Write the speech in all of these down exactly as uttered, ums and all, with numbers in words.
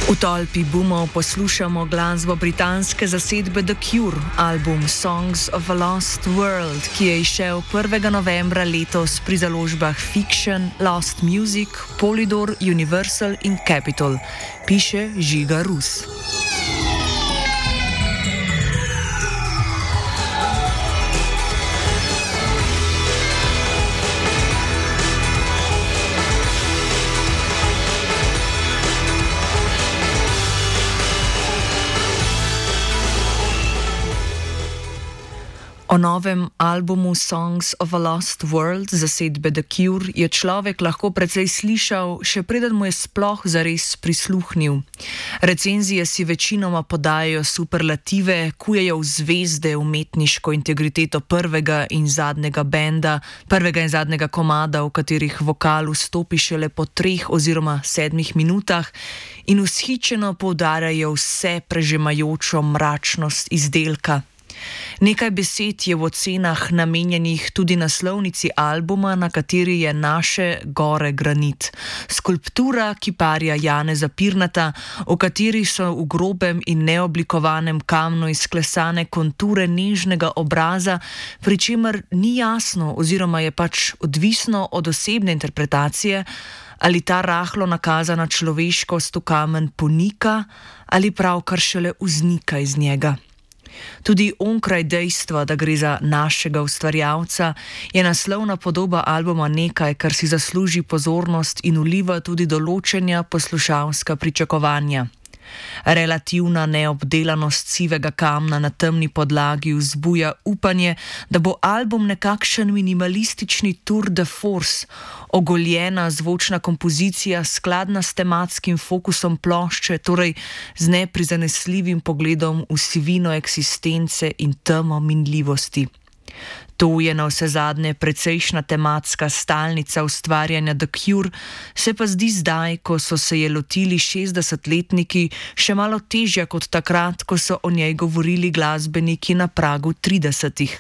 V tolpi boomov poslušamo glasbo britanske zasedbe The Cure, album Songs of a Lost World, ki je izšel prvega novembra letos pri založbah Fiction, Lost Music, Polydor, Universal in Capitol, piše Žiga Rus. O novem albumu Songs of a Lost World zasedbe The Cure je človek lahko precej slišal, še preden mu je sploh zares prisluhnil. Recenzije si večinoma podajajo superlative, kujejo v zvezde umetniško integriteto prvega in zadnjega benda, prvega in zadnjega komada, v katerih vokal vstopi šele po treh oziroma sedmih minutah, in vzhičeno poudarjajo vse prežemajočo mračnost izdelka. Nekaj besed je v ocenah namenjenih tudi naslovnici albuma, na kateri je Naše gore granit. Skulptura kiparja Janeza Pirnata, v kateri so v grobem in neoblikovanem kamnu izklesane konture nežnega obraza, pri čemer ni jasno oziroma je pač odvisno od osebne interpretacije, ali ta rahlo nakazana človeškost v kamen ponika ali pravkar šele vznika iz njega. Tudi onkraj dejstva, da gre za našega ustvarjalca, je naslovna podoba albuma nekaj, kar si zasluži pozornost in vliva tudi določenja poslušalska pričakovanja. Relativna neobdelanost sivega kamna na temni podlagi vzbuja upanje, da bo album nekakšen minimalistični tour de force, ogoljena zvočna kompozicija skladna s tematskim fokusom plošče, torej z neprizanesljivim pogledom v sivino eksistence in temo minljivosti. To je navsezadnje precejšna tematska stalnica ustvarjanja The Cure, se pa zdi zdaj, ko so se je lotili šestdesetletniki, še malo težja kot takrat, ko so o njej govorili glasbeniki na pragu tridesetih.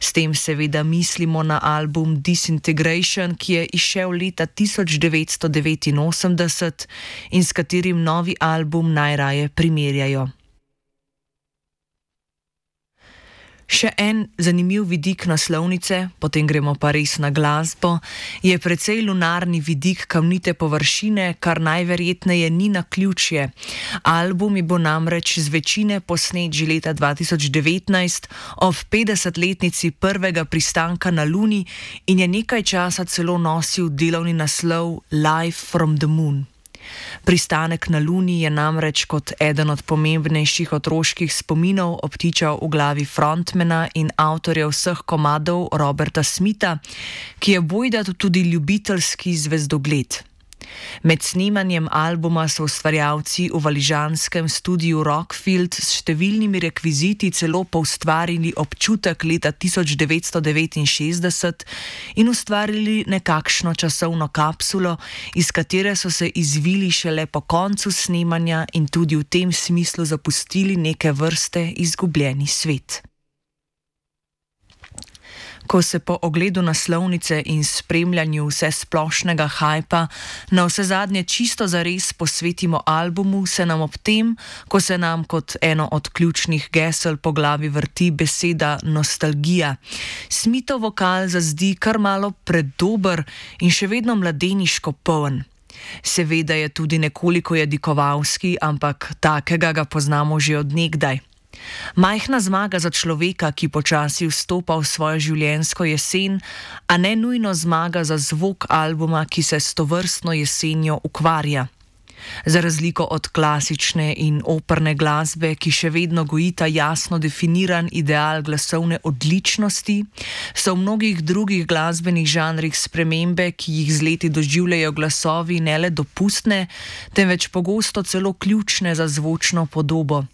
S tem seveda mislimo na album Disintegration, ki je izšel leta tisoč devetsto devetinosemdeset in s katerim novi album najraje primerjajo. Še en zanimiv vidik naslovnice, potem gremo pa res na glasbo, je precej lunarni vidik kamnite površine, kar najverjetneje ni naključje. Album je bo namreč z večine posnet že leta dva tisoč devetnajst ob petdesetletnici prvega pristanka na Luni in je nekaj časa celo nosil delovni naslov Live from the Moon. Pristanek na Luni je namreč kot eden od pomembnejših otroških spominov obtičal v glavi frontmana in avtorja vseh komadov Roberta Smitha, ki je bojda tudi ljubiteljski zvezdogled. Med snemanjem albuma so ustvarjalci v valižanskem studiu Rockfield s številnimi rekviziti celo poustvarili občutek leta tisoč devetsto devetinšestdeset in ustvarili nekakšno časovno kapsulo, iz katere so se izvili šele po koncu snemanja in tudi v tem smislu zapustili neke vrste izgubljeni svet. Ko se po ogledu naslovnice in spremljanju vse splošnega hajpa na vse zadnje čisto zares posvetimo albumu, se nam ob tem, ko se nam kot eno od ključnih gesel po glavi vrti beseda nostalgija, Smithov vokal zazdi kar malo predober in še vedno mladeniško poln. Seveda je tudi nekoliko jadikovalski, ampak takega ga poznamo že od nekdaj. Majhna zmaga za človeka, ki počasi vstopa v svojo življenjsko jesen, a ne nujno zmaga za zvok albuma, ki se s tovrstno jesenjo ukvarja. Za razliko od klasične in operne glasbe, ki še vedno gojita jasno definiran ideal glasovne odličnosti, so v mnogih drugih glasbenih žanrih spremembe, ki jih z leti doživljajo glasovi, ne le dopustne, temveč pogosto celo ključne za zvočno podobo.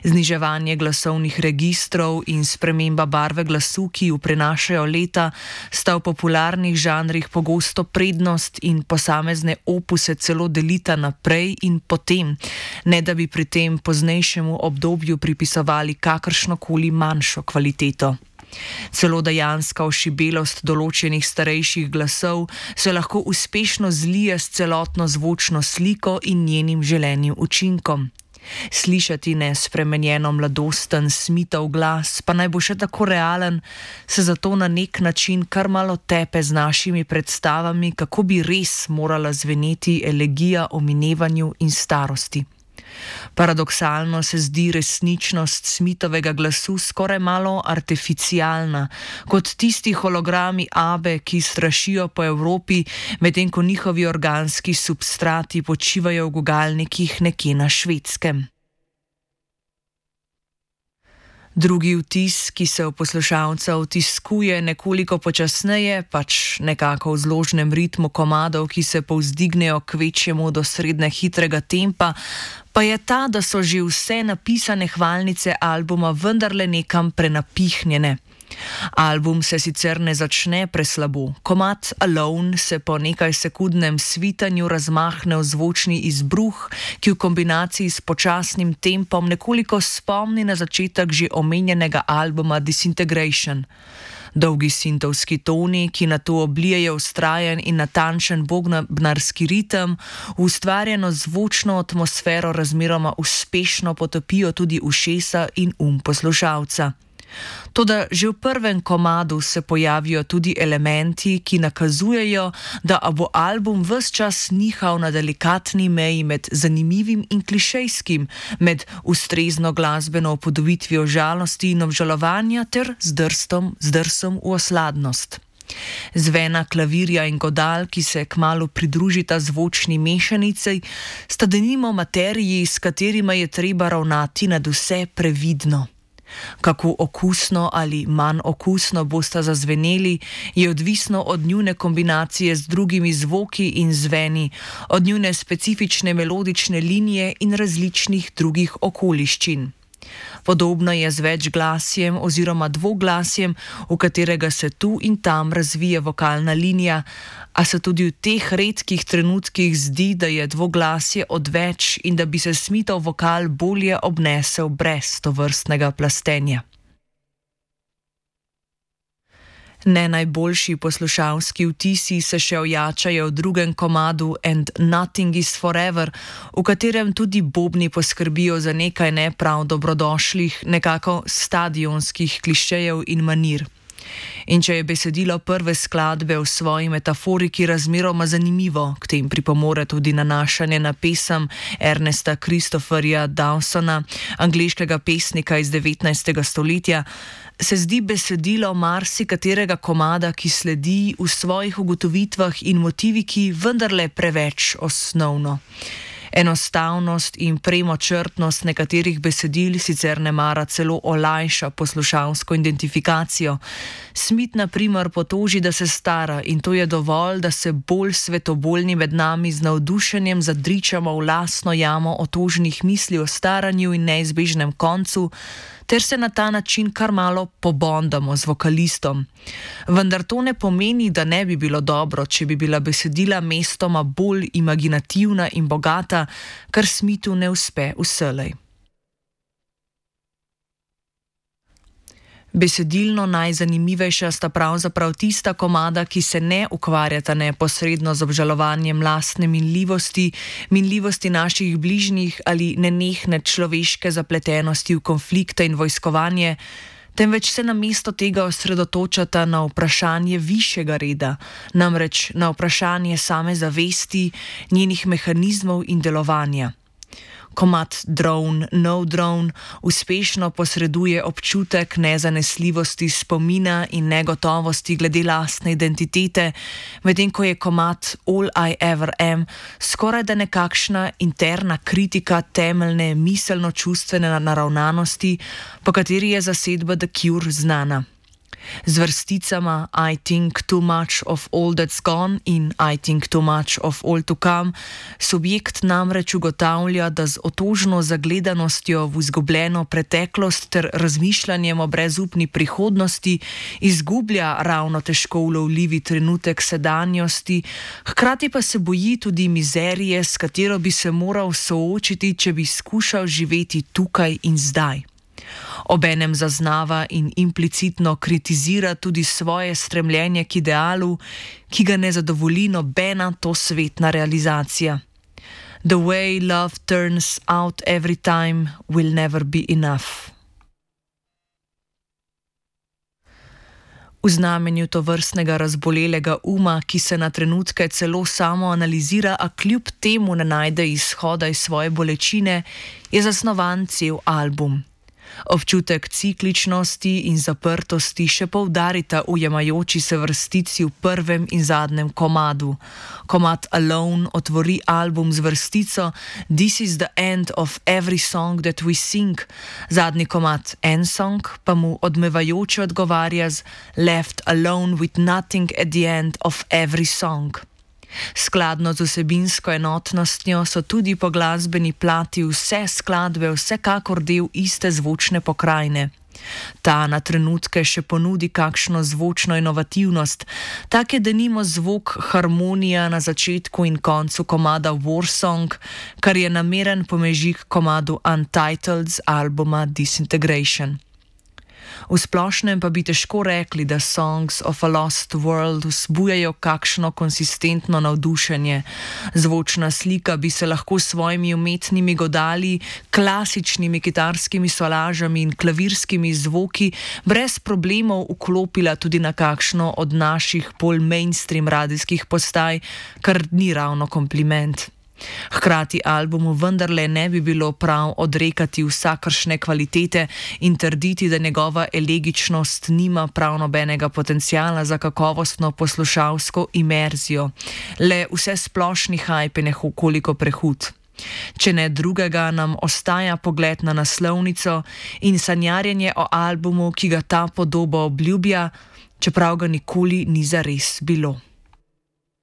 Zniževanje glasovnih registrov in sprememba barve glasu, ki ju prenašajo leta, sta v popularnih žanrih pogosto prednost in posamezne opuse celo delita naprej in potem, ne da bi pri tem poznejšemu obdobju pripisovali kakršnokoli manjšo kvaliteto. Celo dejanska ošibelost določenih starejših glasov se lahko uspešno zlije s celotno zvočno sliko in njenim želenim učinkom. Slišati nespremenjeno mladosten Smithov glas, pa naj bo še tako realen, se zato na nek način kar malo tepe z našimi predstavami, kako bi res morala zveneti elegija o minevanju in starosti. Paradoksalno se zdi resničnost Smithovega glasu skoraj malo artificialna, kot tisti hologrami Abbe, ki strašijo po Evropi, medtem ko njihovi organski substrati počivajo v gugalnikih nekje na Švedskem. Drugi vtis, ki se v poslušalca vtiskuje nekoliko počasneje, pač nekako v zložnem ritmu komadov, ki se povzdignejo k večjemu do srednje hitrega tempa, pa je ta, da so že vse napisane hvalnice albuma vendarle nekam prenapihnjene. Album se sicer ne začne preslabo. Komad Alone se po nekaj sekundnem svitanju razmahne v zvočni izbruh, ki v kombinaciji s počasnim tempom nekoliko spomni na začetek že omenjenega albuma Disintegration. Dolgi sintovski toni, ki nato oblijejo vztrajen in natančen bobnarski ritem, v ustvarjeno zvočno atmosfero razmeroma uspešno potopijo tudi ušesa in um poslušalca. Toda že v prvem komadu se pojavijo tudi elementi, ki nakazujejo, da bo album ves čas nihal na delikatni meji med zanimivim in klišejskim, med ustrezno glasbeno upodobitvijo žalosti in obžalovanja ter zdrstom, zdrsom v osladnost. Zvena klavirja in godal, ki se kmalu pridružita zvočni mešanici, sta denimo materiji, s katerima je treba ravnati nadvse previdno. Kako okusno ali manj okusno bosta zazveneli, je odvisno od njune kombinacije z drugimi zvoki in zveni, od njune specifične melodične linije in različnih drugih okoliščin. Podobno je z večglasjem oziroma dvoglasjem, v katerega se tu in tam razvije vokalna linija, a se tudi v teh redkih trenutkih zdi, da je dvoglasje odveč in da bi se Smithov vokal bolje obnesel brez tovrstnega plastenja. Ne najboljši poslušalski vtisi se še ojačajo v drugem komadu And Nothing is Forever, v katerem tudi bobni poskrbijo za nekaj ne prav dobrodošlih, nekako stadionskih klišejev in manir. In če je besedilo prve skladbe v svoji metaforiki razmeroma zanimivo, k tem pripomore tudi nanašanje na pesem Ernesta Christopherja Dawsona, angleškega pesnika iz devetnajstega stoletja, se zdi besedilo marsikaterega komada, ki sledi, v svojih ugotovitvah in motiviki vendarle preveč osnovno. Enostavnost in premočrtnost nekaterih besedil sicer ne mara celo olajša poslušalsko identifikacijo. Smith na primer potoži, da se stara, in to je dovolj, da se bolj svetoboljni med nami z navdušenjem zadričamo v lastno jamo otožnih misli o staranju in neizbežnem koncu, ter se na ta način kar malo pobondamo z vokalistom. Vendar to ne pomeni, da ne bi bilo dobro, če bi bila besedila mestoma bolj imaginativna in bogata, kar Smithu ne uspe vselej. Besedilno najzanimivejša sta pravzaprav tista komada, ki se ne ukvarjata neposredno z obžalovanjem lastne minljivosti, minljivosti naših bližnjih ali nenehne človeške zapletenosti v konflikte in vojskovanje, temveč se namesto tega osredotočata na vprašanje višjega reda, namreč na vprašanje same zavesti, njenih mehanizmov in delovanja. Komad Drone, No Drone uspešno posreduje občutek nezanesljivosti spomina in negotovosti glede lastne identitete, medtem ko je komad All I Ever Am skorajda nekakšna interna kritika temeljne miselno-čustvene naravnanosti, po kateri je zasedba The Cure znana. Z vrsticama I think too much of all that's gone in I think too much of all to come subjekt namreč ugotavlja, da z otožno zagledanostjo v izgubljeno preteklost ter razmišljanjem o brezupni prihodnosti izgublja ravno težko ulovljivi trenutek sedanjosti, hkrati pa se boji tudi mizerije, s katero bi se moral soočiti, če bi skušal živeti tukaj in zdaj. Obenem zaznava in implicitno kritizira tudi svoje stremljenje k idealu, ki ga ne zadovolji nobena tosvetna realizacija. The way love turns out every time will never be enough. V znamenju tovrstnega razbolelega uma, ki se na trenutke celo samo analizira, a kljub temu ne najde izhoda iz svoje bolečine, je zasnovan cel album. Občutek cikličnosti in zaprtosti še poudarita ujemajoči se vrstici v prvem in zadnjem komadu. Komad Alone otvori album z vrstico This is the end of every song that we sing, zadnji komad En Song pa mu odmevajoče odgovarja z Left alone with nothing at the end of every song. Skladno z vsebinsko enotnostjo so tudi po glasbeni plati vse skladbe vsekakor del iste zvočne pokrajine. Ta na trenutke še ponudi kakšno zvočno inovativnost, tak je denimo zvok harmonija na začetku in koncu komada War Song, kar je nameren pomežik komadu Untitled z albuma Disintegration. V splošnem pa bi težko rekli, da Songs of a Lost World vzbujajo kakšno konsistentno navdušenje. Zvočna slika bi se lahko s svojimi umetnimi godali, klasičnimi kitarskimi solažami in klavirskimi zvoki brez problemov vklopila tudi na kakšno od naših bolj mainstream radijskih postaj, kar ni ravno kompliment. Hkrati albumu vendarle ne bi bilo prav odrekati vsakršne kvalitete in trditi, da njegova elegičnost nima prav nobenega potenciala za kakovostno poslušalsko imerzijo. Le vse splošni hype je nekoliko prehud. Če ne drugega, nam ostaja pogled na naslovnico in sanjarjenje o albumu, ki ga ta podoba obljublja, čeprav ga nikoli ni zares bilo.